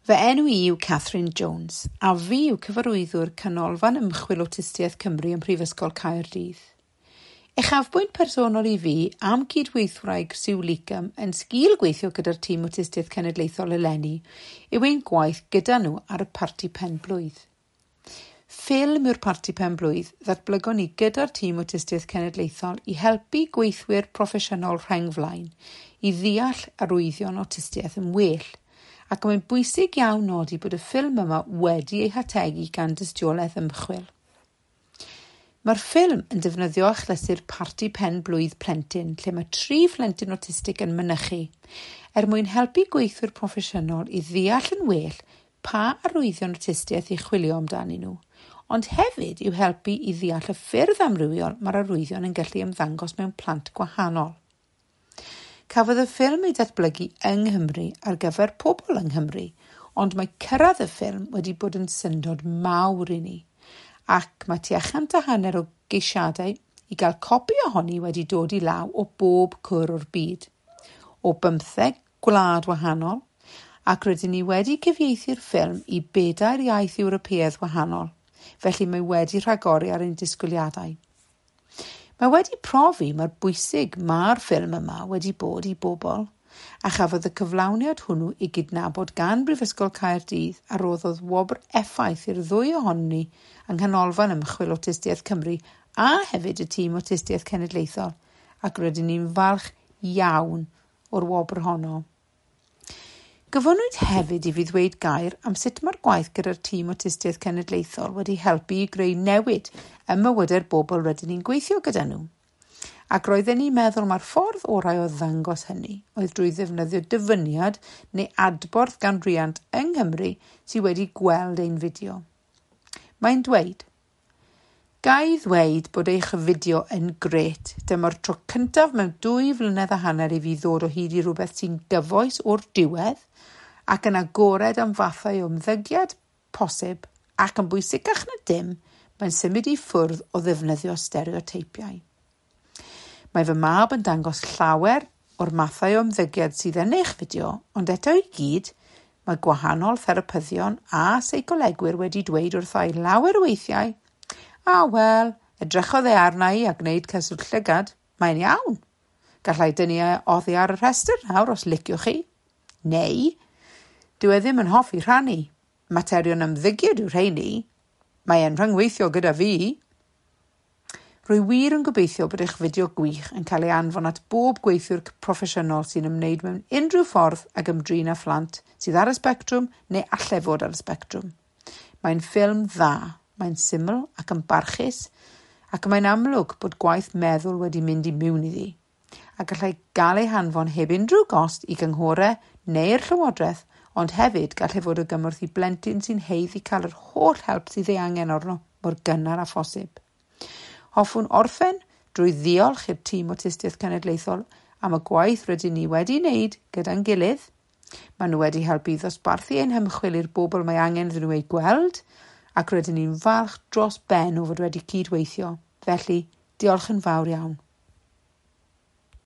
Fy enw i yw Catherine Jones, a fi yw cyfarwyddwr Canolfan Ymchwil Awtistiaeth Cymru ym Mhrifysgol Caerdydd. Uchafbwynt personol i fi am cydweithwraig Sue Leekam yn sgil gweithio gyda'r tîm Awtistiaeth Cenedlaethol eleni yw ein gwaith gyda nhw ar y parti penblwydd. Ffilm yw'r parti penblwydd ddatblygon ni gyda'r tîm Awtistiaeth Cenedlaethol i helpu gweithwyr proffesiynol rheng flaen i ddeall arwyddion awtistiaeth yn well, ac mae'n bwysig iawn nodi bod y ffilm yma wedi ei hategu gan dystiolaeth ymchwil. Mae'r ffilm yn defnyddio achlysur parti pen-blwydd plentyn lle mae 3 phlentyn awtistig yn mynychu, er mwyn helpu gweithwyr proffesiynol i ddeall yn well pa arwyddion awtistiaeth i chwilio amdanyn nhw, ond hefyd i'w helpu i ddeall y ffyrdd amrywiol mae'r arwyddion yn gallu ymddangos mewn plant gwahanol. Cafodd y ffilm ei datblygu yng Nghymru ar gyfer pobl yng Nghymru, ond mae cyrraedd y ffilm wedi bod yn syndod mawr i ni, ac mae tua 150 o geisiadau i gael copi ohoni wedi dod i law o bob cwr o'r byd, o 15 gwlad wahanol, ac rydyn ni wedi cyfieithu'r ffilm i 4 iaith Ewropeaidd wahanol, felly mae wedi rhagori ar ein disgwyliadau. Mae wedi profi mor bwysig mae'r ffilm yma wedi bod i bobl, a chafodd y cyflawniad hwnnw ei gydnabod gan Brifysgol Caerdydd a roddodd wobr effaith i'r ddwy ohonon ni yng Nghanolfan Ymchwil Awtistiaeth Cymru a hefyd y tîm Awtistiaeth Cenedlaethol, ac rydyn ni'n falch iawn o'r wobr honno. Gofynnwyd hefyd i fi ddweud gair am sut mae'r gwaith gyda'r tîm Awtistiaeth Cenedlaethol wedi helpu i greu newid ym mywydau'r bobl rydyn ni'n gweithio gyda nhw. Ac roedden ni'n meddwl mai'r ffordd orau o ddangos hynny oedd drwy ddefnyddio dyfyniad neu adborth gan riant yng Nghymru sydd wedi gweld ein fideo. Mae'n dweud, "Ga i ddweud bod eich fideo yn grêt. Dyma'r tro cyntaf mewn 2.5 flynedd i fi ddod o hyd i rhywbeth sy'n gyfoes o'r diwedd ac yn agored am fathau o ymddygiad posib ac yn bwysicach na dim, mae'n symud i ffwrdd o ddefnyddio stereoteipiau. Mae fy mab yn dangos llawer o'r mathau o ymddygiad sydd yn eich fideo, ond eto i gyd, mae gwahanol therapyddion a seicolegwyr wedi dweud wrtha i lawer o weithiau, 'A wel, edrychodd e arna i a gwneud cyswllt llygad, mae'n iawn. Gallai dynnu e oddi ar y rhestr nawr os liciwch chi. Neu, dyw e ddim yn hoffi rhannu. Materion ymddygiad yw rheini. Mae e'n rhyngweithio gyda fi.' Rwy wir yn gobeithio bod eich fideo gwych yn cael ei anfon at bob gweithiwr proffesiynol sy'n ymwneud mewn unrhyw ffordd ag ymdrin â phlant sydd ar y sbectrwm neu allai fod ar y sbectrwm. Mae'n ffilm dda, mae'n syml ac yn barchus, ac mae'n amlwg bod gwaith meddwl wedi mynd i mewn iddi, a gallai gael ei hanfon heb unrhyw gost i gynghorau neu'r llywodraeth, ond hefyd gallai fod o gymorth i blentyn sy'n haeddu cael yr holl help sydd ei angen arno mor gynnar â phosib. Hoffwn orffen drwy ddiolch i'r tîm Awtistiaeth Cenedlaethol am y gwaith rydyn ni wedi wneud gyda'n gilydd. Maen nhw wedi helpu i ddosbarthu ein hymchwil i'r bobl mae angen iddyn nhw ei gweld, ac rydyn ni'n falch dros ben o fod wedi cydweithio. Felly, diolch yn fawr iawn.